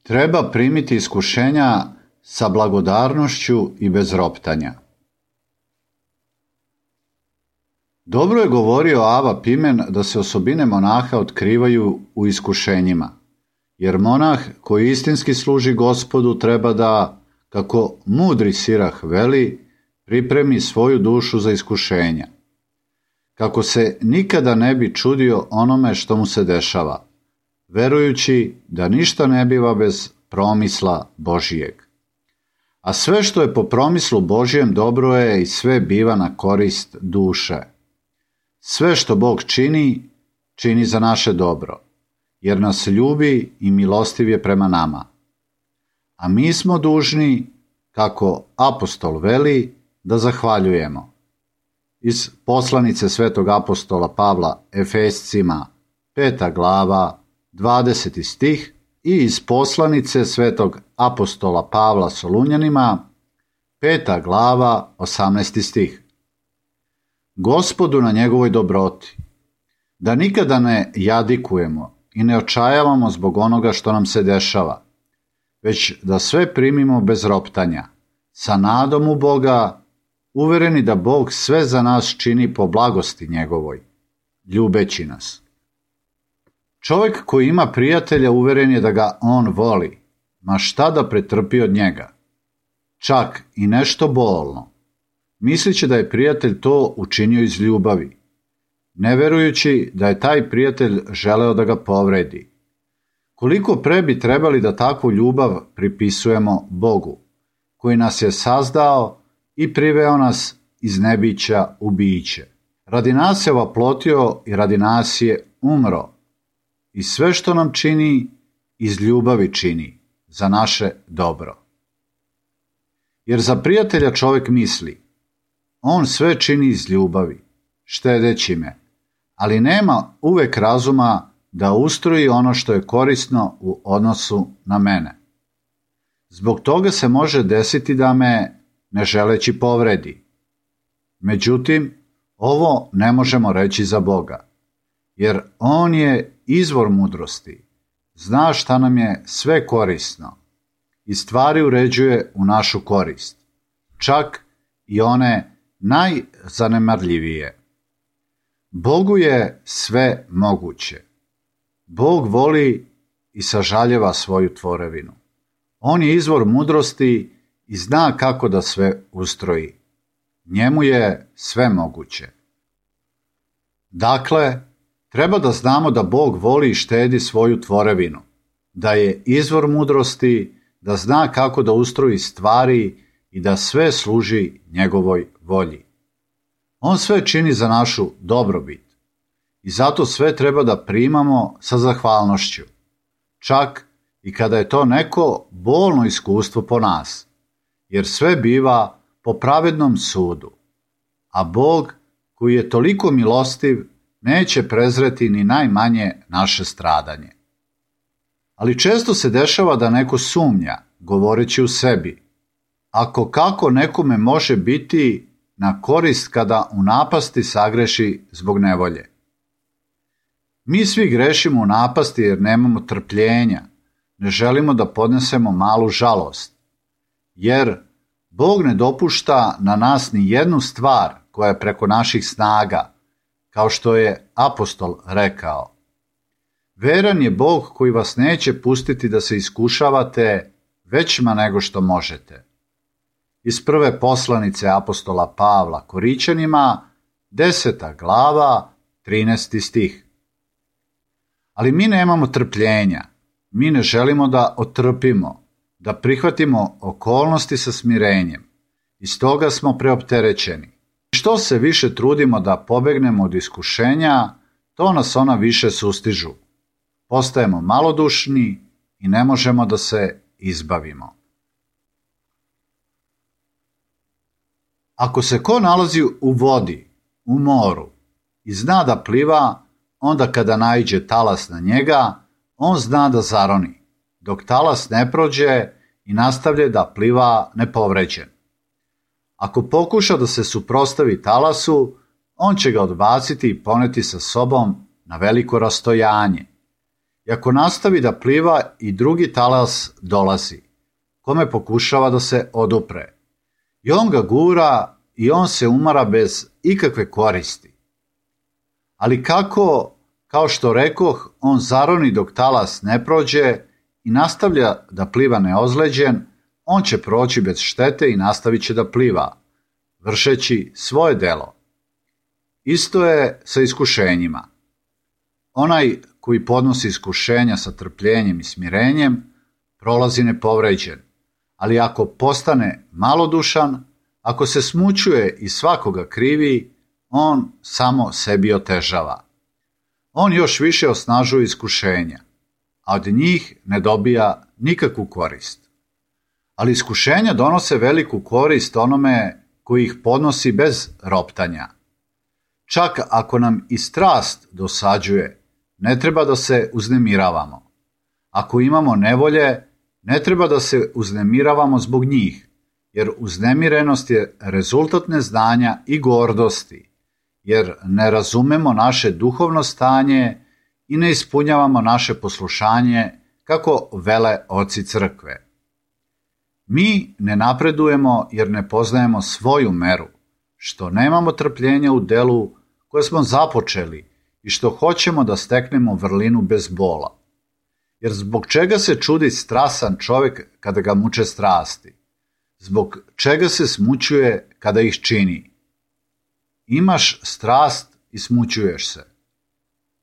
Treba primiti iskušenja sa blagodarnošću i bez roptanja. Dobro je govorio Ava Pimen da se osobine monaha otkrivaju u iskušenjima, jer monah koji istinski služi Gospodu treba da, kako mudri Sirah veli, pripremi svoju dušu za iskušenja, kako se nikada ne bi čudio onome što mu se dešava, verujući da ništa ne biva bez promisla Božijeg. A sve što je po promislu Božijem dobro je i sve biva na korist duše. Sve što Bog čini, čini za naše dobro, jer nas ljubi i milostiv je prema nama. A mi smo dužni, kako apostol veli, da zahvaljujemo. Iz poslanice svetog apostola Pavla Efescima, 5. glava, 20. stih, i iz poslanice svetog apostola Pavla Solunjanima, 5. glava, 18. stih. Gospodu na njegovoj dobroti, da nikada ne jadikujemo i ne očajavamo zbog onoga što nam se dešava, već da sve primimo bez roptanja, sa nadom u Boga, uvereni da Bog sve za nas čini po blagosti njegovoj, ljubeći nas. Čovjek koji ima prijatelja uveren je da ga on voli, ma šta da pretrpi od njega, čak i nešto bolno, mislići da je prijatelj to učinio iz ljubavi, ne verujući da je taj prijatelj želeo da ga povredi. Koliko pre bi trebali da takvu ljubav pripisujemo Bogu, koji nas je sazdao i priveo nas iz nebića u biće. Radi nas je oplotio i radi nas je umro. I sve što nam čini, iz ljubavi čini, za naše dobro. Jer za prijatelja čovjek misli, on sve čini iz ljubavi, štedeći me, ali nema uvek razuma da ustroji ono što je korisno u odnosu na mene. Zbog toga se može desiti da me, ne želeći, povredi. Međutim, ovo ne možemo reći za Boga, jer on je izvor mudrosti, zna šta nam je sve korisno i stvari uređuje u našu korist, čak i one najzanemarljivije. Bogu je sve moguće. Bog voli i sažaljeva svoju tvorevinu. On je izvor mudrosti i zna kako da sve ustroji. Njemu je sve moguće. Dakle, treba da znamo da Bog voli i štedi svoju tvorevinu, da je izvor mudrosti, da zna kako da ustroji stvari i da sve služi njegovoj volji. On sve čini za našu dobrobit i zato sve treba da primamo sa zahvalnošću, čak i kada je to neko bolno iskustvo po nas, jer sve biva po pravednom sudu, a Bog, koji je toliko milostiv, neće prezreti ni najmanje naše stradanje. Ali često se dešava da neko sumnja, govoreći u sebi, ako kako nekome može biti na korist kada u napasti sagreši zbog nevolje. Mi svi grešimo u napasti jer nemamo trpljenja, ne želimo da podnesemo malu žalost, jer Bog ne dopušta na nas ni jednu stvar koja je preko naših snaga, kao što je apostol rekao. Veran je Bog koji vas neće pustiti da se iskušavate većima nego što možete. Iz prve poslanice apostola Pavla Korićanima, 10. glava, 13. stih. Ali mi nemamo trpljenja, mi ne želimo da otrpimo, da prihvatimo okolnosti sa smirenjem, i stoga smo preopterećeni. Što se više trudimo da pobegnemo od iskušenja, to nas ona više sustižu. Postajemo malodušni i ne možemo da se izbavimo. Ako se ko nalazi u vodi, u moru, i zna da pliva, onda kada naiđe talas na njega, on zna da zaroni, dok talas ne prođe i nastavlja da pliva nepovređen. Ako pokuša da se suprotstavi talasu, on će ga odbaciti i poneti sa sobom na veliko rastojanje. I ako nastavi da pliva i drugi talas dolazi, kome pokušava da se odupre. I on ga gura i on se umara bez ikakve koristi. Ali kako, kao što rekoh, on zaroni dok talas ne prođe i nastavlja da pliva neozleđen, on će proći bez štete i nastavit će da pliva, vršeći svoje delo. Isto je sa iskušenjima. Onaj koji podnosi iskušenja sa trpljenjem i smirenjem, prolazi nepovređen, ali ako postane malodušan, ako se smućuje i svakoga krivi, on samo sebi otežava. On još više osnažuje iskušenja, a od njih ne dobija nikakvu korist. Ali iskušenja donose veliku korist onome koji ih podnosi bez roptanja. Čak ako nam i strast dosađuje, ne treba da se uznemiravamo. Ako imamo nevolje, ne treba da se uznemiravamo zbog njih, jer uznemirenost je rezultat neznanja i gordosti, jer ne razumemo naše duhovno stanje i ne ispunjavamo naše poslušanje kako vele oci crkve. Mi ne napredujemo jer ne poznajemo svoju meru, što nemamo trpljenja u delu koje smo započeli i što hoćemo da steknemo vrlinu bez bola. Jer zbog čega se čudi strasan čovjek kada ga muče strasti? Zbog čega se smućuje kada ih čini? Imaš strast i smućuješ se.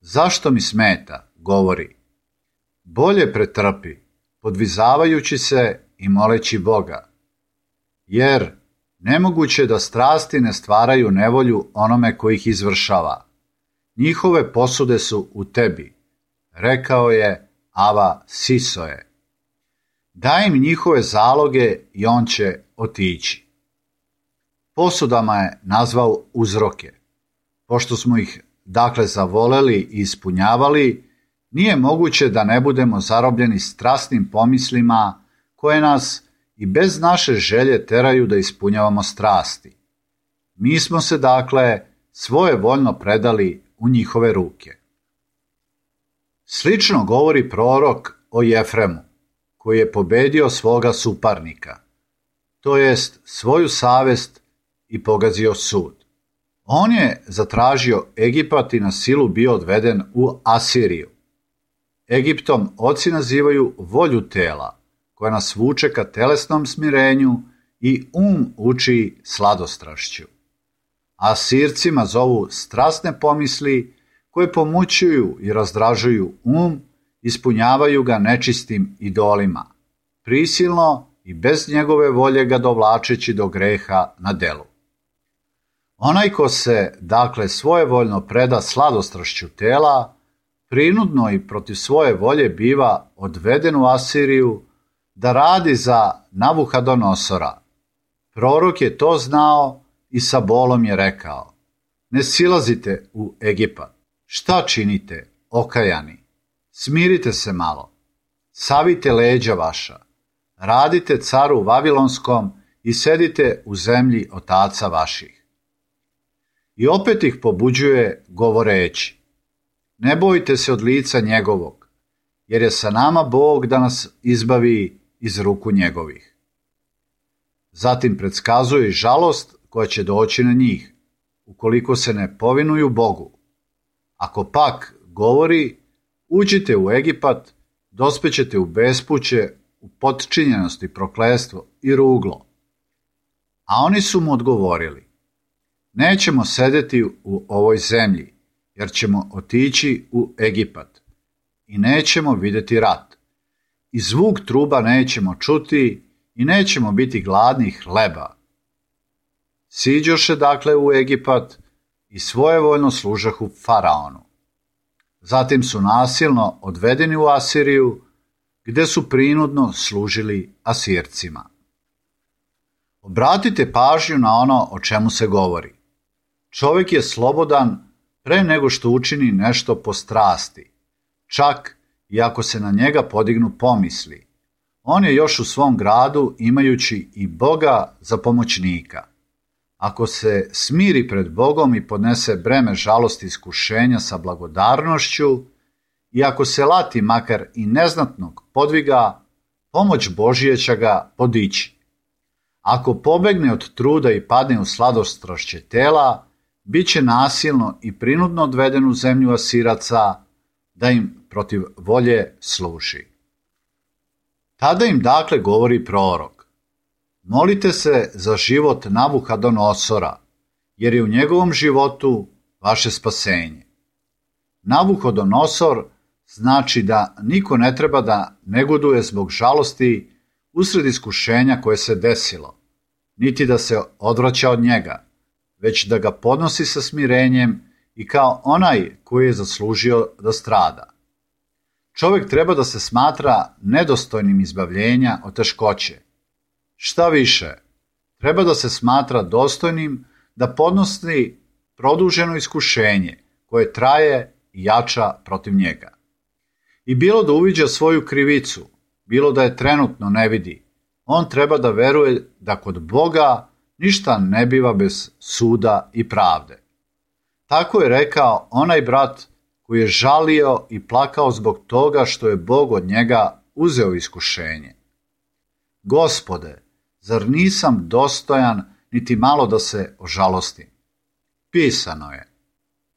Zašto mi smeta, govori. Bolje pretrpi, podvizavajući se i moleći Boga. Jer nemoguće da strasti ne stvaraju nevolju onome koji ih izvršava. Njihove posude su u tebi, rekao je Ava Sisoje. Daj im njihove zaloge i on će otići. Posudama je nazvao uzroke. Pošto smo ih dakle zavoleli i ispunjavali, nije moguće da ne budemo zarobljeni strasnim pomislima koje nas i bez naše želje teraju da ispunjavamo strasti. Mi smo se dakle svojevoljno predali u njihove ruke. Slično govori prorok o Jefremu, koji je pobedio svoga suparnika, to jest svoju savest i pogazio sud. On je zatražio Egipat i na silu bio odveden u Asiriju. Egiptom oci nazivaju volju tela, koja nas vuče ka telesnom smirenju i uči sladostrašću. Asircima zovu strasne pomisli koje pomućuju i razdražuju ispunjavaju ga nečistim idolima, prisilno i bez njegove volje ga dovlačeći do greha na delu. Onaj ko se, dakle, svojevoljno preda sladostrašću tela, prinudno i protiv svoje volje biva odveden u Asiriju da radi za Navuhadonosora. Prorok je to znao i sa bolom je rekao: ne silazite u Egipat. Šta činite, okajani? Smirite se malo, savite leđa vaša, radite caru Vavilonskom i sedite u zemlji otaca vaših. I opet ih pobuđuje govoreći: ne bojte se od lica njegovog, jer je sa nama Bog da nas izbavi iz ruku njegovih. Zatim predskazuje i žalost koja će doći na njih, ukoliko se ne povinuju Bogu. Ako pak govori: uđite u Egipat, dospećete u bespuće, u potčinjenost i prokletstvo i ruglo. A oni su mu odgovorili: nećemo sedeti u ovoj zemlji, jer ćemo otići u Egipat i nećemo vidjeti rat. I zvuk truba nećemo čuti i nećemo biti gladni hleba. Siđoše dakle u Egipat i svojevoljno služahu faraonu. Zatim su nasilno odvedeni u Asiriju, gde su prinudno služili Asircima. Obratite pažnju na ono o čemu se govori. Čovjek je slobodan pre nego što učini nešto po strasti, čak i ako se na njega podignu pomisli. On je još u svom gradu imajući i Boga za pomoćnika. Ako se smiri pred Bogom i podnese breme žalosti i iskušenja sa blagodarnošću i ako se lati makar i neznatnog podviga, pomoć Božija će ga podići. Ako pobegne od truda i padne u sladostrašće tela, bit će nasilno i prinudno odveden u zemlju Asiraca, da im protiv volje služi. Tada im dakle govori prorok: molite se za život Navuhodonosora, jer je u njegovom životu vaše spasenje. Navuhodonosor znači da niko ne treba da negoduje zbog žalosti usred iskušenja koje se desilo, niti da se odvraća od njega, već da ga podnosi sa smirenjem i kao onaj koji je zaslužio da strada. Čovjek treba da se smatra nedostojnim izbavljenja od teškoće. Šta više, treba da se smatra dostojnim da podnosi produženo iskušenje koje traje i jača protiv njega. I bilo da uviđa svoju krivicu, bilo da je trenutno ne vidi, on treba da veruje da kod Boga ništa ne biva bez suda i pravde. Tako je rekao onaj brat koji je žalio i plakao zbog toga što je Bog od njega uzeo iskušenje. Gospode, zar nisam dostojan niti malo da se ožalostim? Pisano je,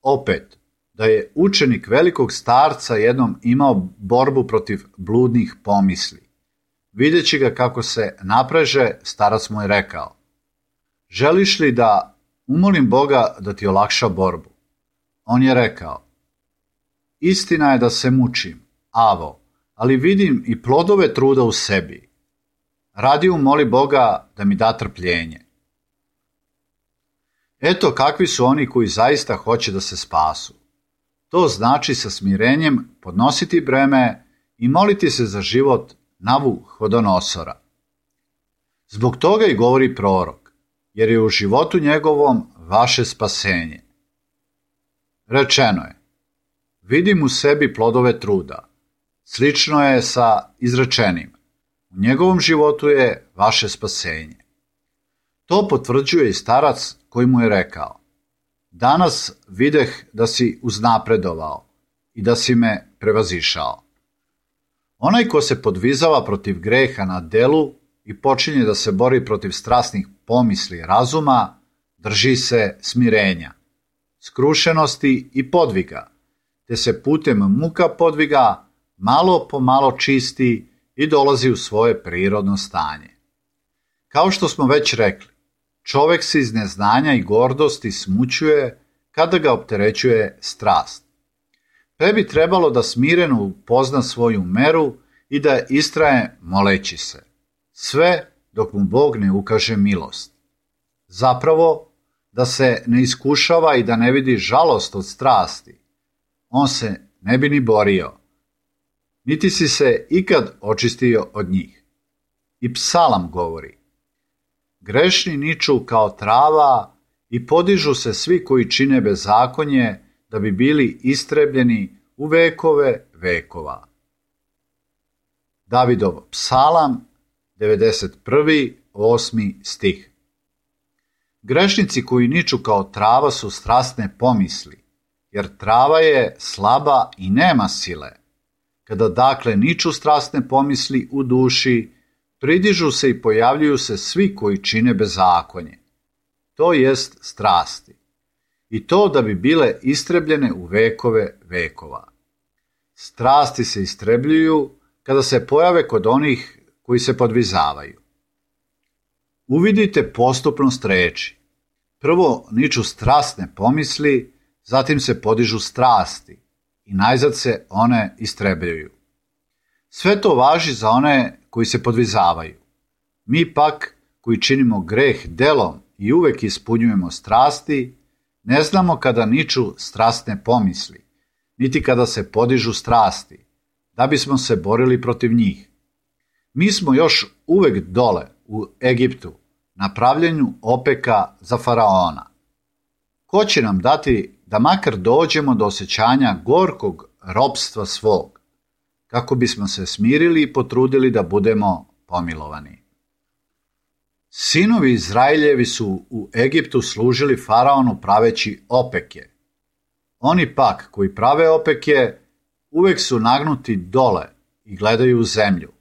opet, da je učenik velikog starca jednom imao borbu protiv bludnih pomisli. Videći ga kako se napreže, starac mu je rekao: želiš li da umolim Boga da ti olakša borbu? On je rekao: istina je da se mučim, avo, ali vidim i plodove truda u sebi. Radi umoli Boga da mi da trpljenje. Eto kakvi su oni koji zaista hoće da se spasu. To znači sa smirenjem podnositi breme i moliti se za život Navuhodonosora. Zbog toga i govori prorok, jer je u životu njegovom vaše spasenje. Rečeno je: vidim u sebi plodove truda. Slično je sa izrečenim: u njegovom životu je vaše spasenje. To potvrđuje i starac koji mu je rekao: danas videh da si uznapredovao i da si me prevazišao. Onaj ko se podvizava protiv greha na delu i počinje da se bori protiv strasnih pomisli razuma, drži se smirenja, skrušenosti i podviga, te se putem muka podviga malo po malo čisti i dolazi u svoje prirodno stanje. Kao što smo već rekli, čovjek se iz neznanja i gordosti smućuje kada ga opterećuje strast. Pre bi trebalo da smireno upozna svoju meru i da istraje moleći se, sve dok mu Bog ne ukaže milost. Zapravo, da se ne iskušava i da ne vidi žalost od strasti, on se ne bi ni borio, niti si se ikad očistio od njih. I psalam govori: grešni niču kao trava i podižu se svi koji čine bezakonje, da bi bili istrebljeni u vekove vekova. Davidov psalam, 91. 8. stih. Grešnici koji niču kao trava su strasne pomisli, jer trava je slaba i nema sile. Kada dakle niču strasne pomisli u duši, pridižu se i pojavljuju se svi koji čine bezakonje, to jest strasti, i to da bi bile istrebljene u vekove vekova. Strasti se istrebljuju kada se pojave kod onih koji se podvizavaju. Uvidite postupnost reči. Prvo niču strasne pomisli, zatim se podižu strasti i najzad se one istrebljuju. Sve to važi za one koji se podvizavaju. Mi pak, koji činimo greh delom i uvek ispunjujemo strasti, ne znamo kada niču strasne pomisli, niti kada se podižu strasti, da bismo se borili protiv njih. Mi smo još uvek dole u Egiptu, na pravljenju opeka za faraona. Ko će nam dati da makar dođemo do osjećanja gorkog ropstva svog, kako bismo se smirili i potrudili da budemo pomilovani? Sinovi Izraeljevi su u Egiptu služili faraonu praveći opeke. Oni pak koji prave opeke uvek su nagnuti dole i gledaju u zemlju.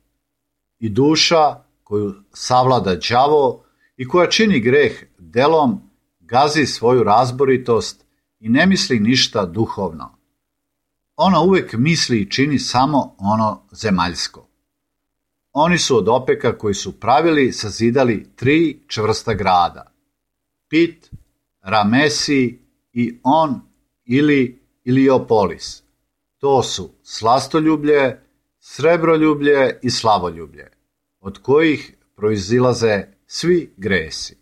I duša koju savlada đavo i koja čini greh delom, gazi svoju razboritost i ne misli ništa duhovno. Ona uvek misli i čini samo ono zemaljsko. Oni su od opeka koji su pravili sazidali 3 čvrsta grada. Pit, Ramesi i On ili Iliopolis. To su slastoljublje, srebroljublje i slavoljublje, od kojih proizilaze svi gresi.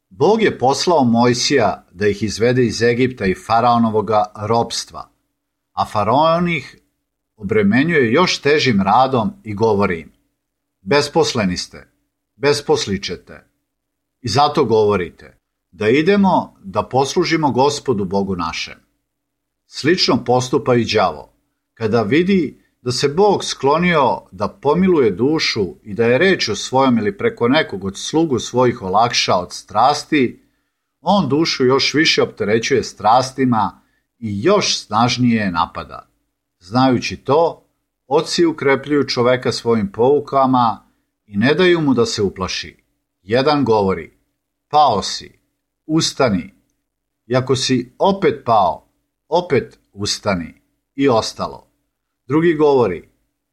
Bog je poslao Mojsija da ih izvede iz Egipta i faraonovoga ropstva, a faraon ih obremenjuje još težim radom i govori im: besposleni ste, besposlićete. I zato govorite da idemo da poslužimo Gospodu Bogu našem. Slično postupa i đavo. Kada vidi da se Bog sklonio da pomiluje dušu i da je rečju svojom ili preko nekog od slugu svojih olakša od strasti, on dušu još više opterećuje strastima i još snažnije je napada. Znajući to, oci ukrepljuju čoveka svojim poukama i ne daju mu da se uplaši. Jedan govori: pao si, ustani. I ako si opet pao, opet ustani. I ostalo. Drugi govori: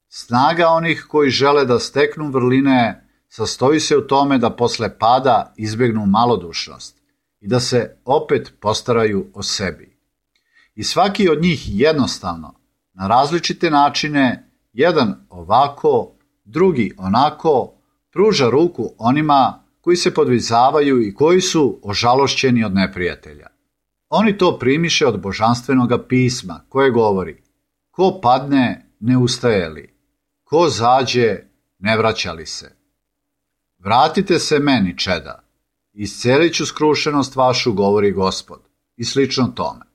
snaga onih koji žele da steknu vrline sastoji se u tome da posle pada izbjegnu malodušnost i da se opet postaraju o sebi. I svaki od njih jednostavno, na različite načine, jedan ovako, drugi onako, pruža ruku onima koji se podvizavaju i koji su ožalošćeni od neprijatelja. Oni to primiše od božanstvenoga pisma, koje govori: ko padne, ne ustaje li, ko zađe, ne vraća li se. Vratite se meni, čeda, iscelit ću skrušenost vašu, govori Gospod, i slično tome.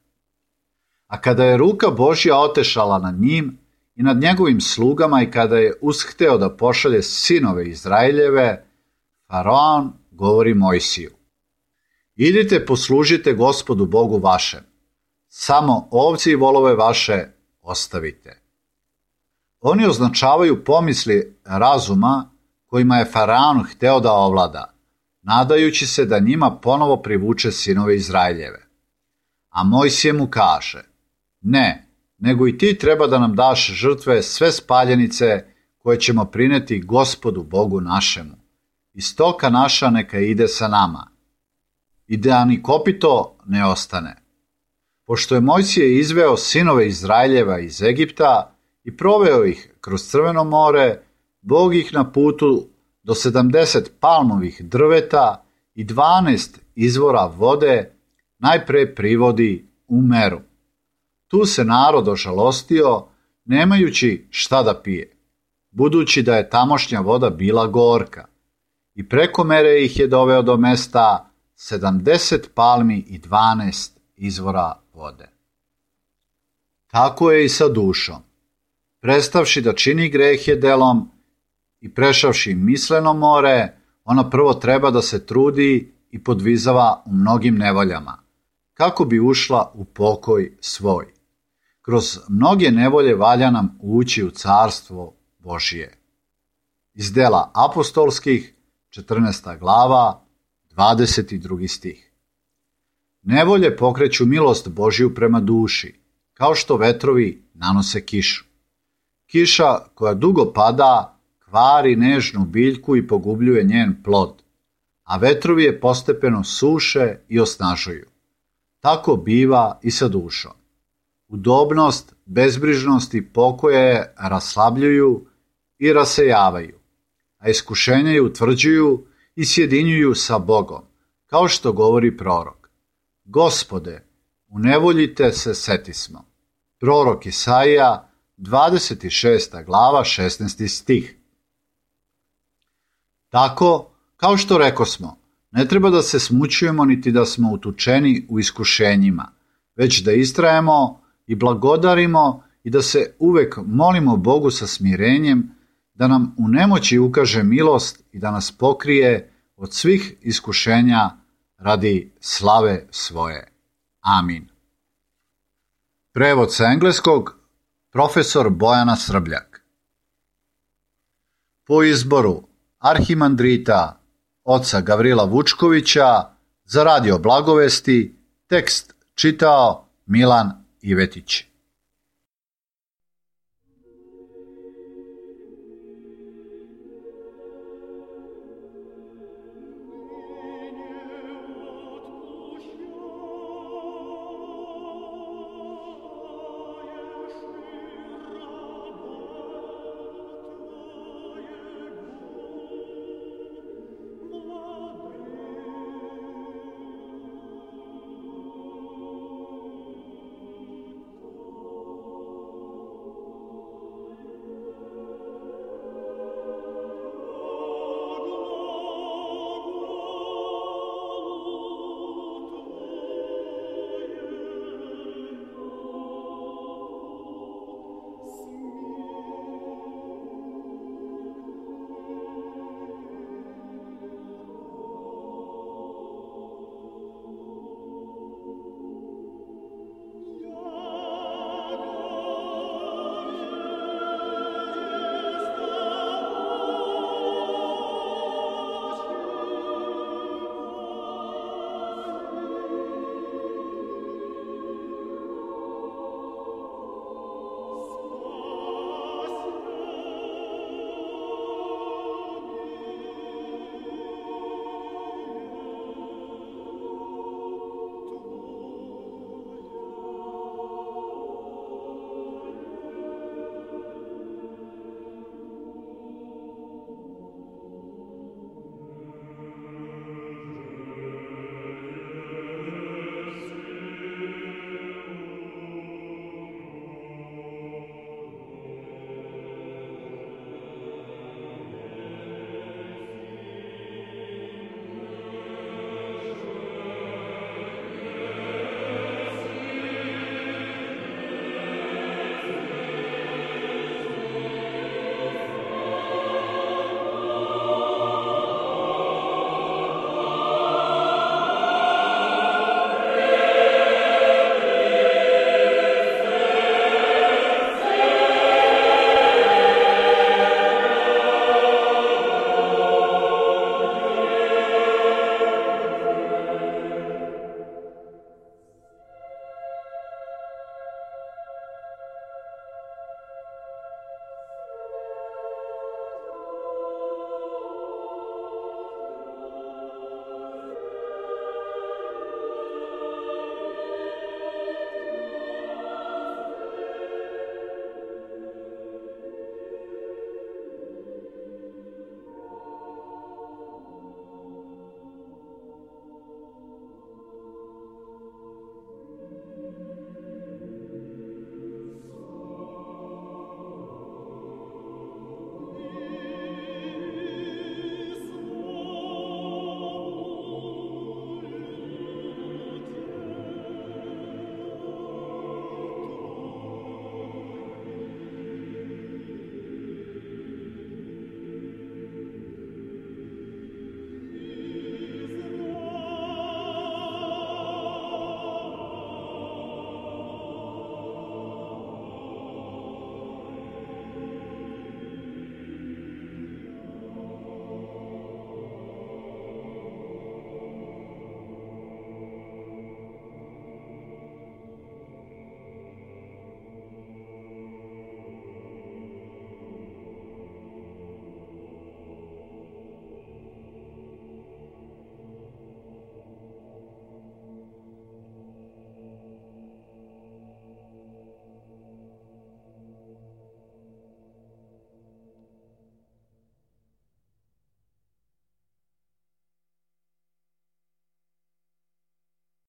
A kada je ruka Božja otešala nad njim i nad njegovim slugama i kada je ushteo da pošalje sinove Izraeljeve, faraon govori Mojsiju: idite poslužite Gospodu Bogu vašem, samo ovce i volove vaše ostavite. Oni označavaju pomisli razuma kojima je faraon hteo da ovlada, nadajući se da njima ponovo privuče sinove Izraeljeve. A Mojsije mu kaže: ne, nego i ti treba da nam daš žrtve sve spaljenice koje ćemo prineti Gospodu Bogu našemu. I stoka naša neka ide sa nama. I da ni kopito ne ostane. Pošto je Mojsije izveo sinove Izraeljeva iz Egipta i proveo ih kroz Crveno more, Bog ih na putu do 70 palmovih drveta i 12 izvora vode najpre privodi u Meru. Tu se narod ožalostio, nemajući šta da pije, budući da je tamošnja voda bila gorka, i preko mere ih je doveo do mesta 70 palmi i 12 izvora vode. Tako je i sa dušom. Prestavši da čini grehe delom i prešavši misleno more, ona prvo treba da se trudi i podvizava u mnogim nevoljama, kako bi ušla u pokoj svoj. Kroz mnoge nevolje valja nam ući u carstvo Božije. Iz dela apostolskih, 14. glava, 22. stih. Nevolje pokreću milost Božiju prema duši, kao što vetrovi nanose kišu. Kiša koja dugo pada kvari nežnu biljku i pogubljuje njen plod, a vetrovi je postepeno suše i osnažuju. Tako biva i sa dušom. Udobnost, bezbrižnost i pokoje je raslabljuju i rasejavaju, a iskušenja je utvrđuju i sjedinjuju sa Bogom, kao što govori prorok: Gospode, u nevolji te se setismo. Prorok Isaija, 26. glava, 16. stih. Tako, kao što rekosmo, ne treba da se smućujemo niti da smo utučeni u iskušenjima, već da istrajemo i blagodarimo i da se uvek molimo Bogu sa smirenjem, da nam u nemoći ukaže milost i da nas pokrije od svih iskušenja radi slave svoje. Amin. Prevod sa engleskog profesor Bojana Srbljak. Po izboru arhimandrita oca Gavrila Vučkovića za Radio Blagovesti tekst čitao Milan Ivetić.